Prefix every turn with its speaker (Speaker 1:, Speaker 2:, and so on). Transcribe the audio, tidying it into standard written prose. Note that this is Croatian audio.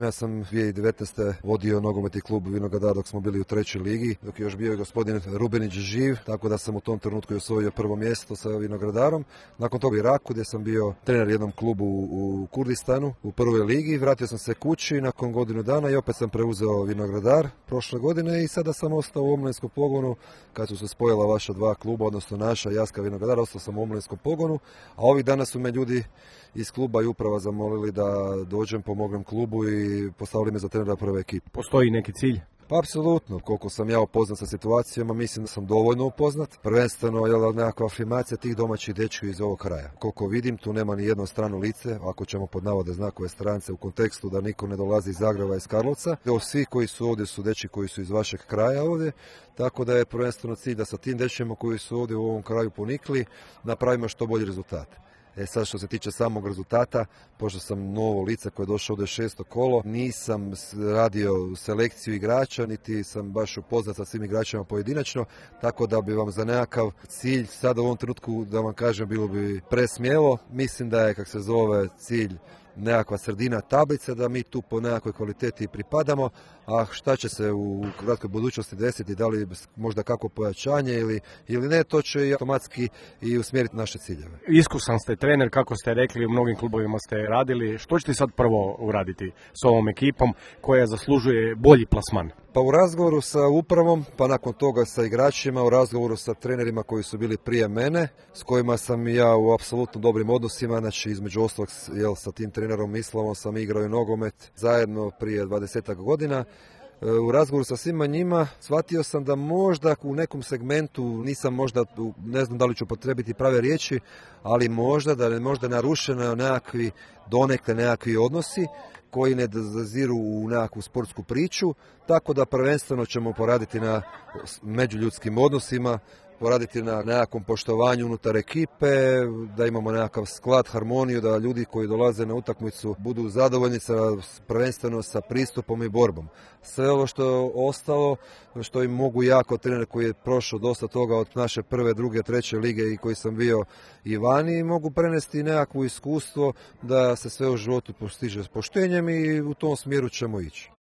Speaker 1: Ja sam 2019. vodio nogometni klub Vinogradar dok smo bili u trećoj ligi, dok je još bio i gospodin Rubenić živ, tako da sam u tom trenutku osvojio prvo mjesto sa Vinogradarom. Nakon toga Iraku gdje sam bio trener jednom klubu u Kurdistanu u prvoj ligi. Vratio sam se kući nakon godinu dana i opet sam preuzeo Vinogradar prošle godine i sada sam ostao u omladinskom pogonu kad su se spojila vaša dva kluba, odnosno naša Jaska Vinogradar, ostao sam u omladinskom pogonu, a ovih dana su me ljudi iz kluba i uprava zamolili da dođem, pomognem klubu i postavili me za trenera prve ekipe.
Speaker 2: Postoji neki cilj?
Speaker 1: Pa apsolutno, koliko sam ja upoznat sa situacijama, mislim da sam dovoljno upoznat. Prvenstveno je nekakva afirmacija tih domaćih dečki iz ovog kraja. Koliko vidim, tu nema ni jedno strano lice, ako ćemo pod navode znakove strance u kontekstu da niko ne dolazi iz Zagreba, iz Karlovca. Svi koji su ovdje su dečki koji su iz vašeg kraja ovdje, tako da je prvenstveno cilj da sa tim dečkima koji su ovdje u ovom kraju ponikli napravimo što bolji rezultat. Sad što se tiče samog rezultata, pošto sam novo lice koje je došlo ovdje 6. kolo, nisam radio selekciju igrača, niti sam baš upoznat sa svim igračima pojedinačno, tako da bi vam za nekakav cilj sada u ovom trenutku, da vam kažem, bilo bi presmjelo. Mislim da je, cilj nekakva sredina tablice, da mi tu po nekakvoj kvaliteti pripadamo, a šta će se u kratkoj budućnosti desiti, da li možda kako pojačanje ili ne, to će i automatski i usmjeriti naše ciljeve.
Speaker 2: Iskusan ste trener, kako ste rekli, u mnogim klubovima ste radili. Što ćete sad prvo uraditi s ovom ekipom koja zaslužuje bolji plasman?
Speaker 1: Pa u razgovoru sa upravom, pa nakon toga sa igračima, u razgovoru sa trenerima koji su bili prije mene, s kojima sam ja u apsolutno dobrim odnosima, znači između ostalog sa tim trenerom Islavom sam igrao i nogomet zajedno prije 20 godina. U razgovoru sa svima njima shvatio sam da možda u nekom segmentu nisam ne znam da li ću potrebiti prave riječi, ali možda narušeno donekle nekakvi odnosi koji ne zaziru u nekakvu sportsku priču, tako da prvenstveno ćemo poraditi na međuljudskim odnosima, poraditi na nekakvom poštovanju unutar ekipe, da imamo nekakav sklad, harmoniju, da ljudi koji dolaze na utakmicu budu zadovoljni prvenstveno sa pristupom i borbom. Sve ovo što je ostalo, što im mogu ja kao trener koji je prošao dosta toga od naše prve, druge, treće lige i koji sam bio i vani, mogu prenesti nekakvo iskustvo da se sve u životu postiže s poštenjem i u tom smjeru ćemo ići.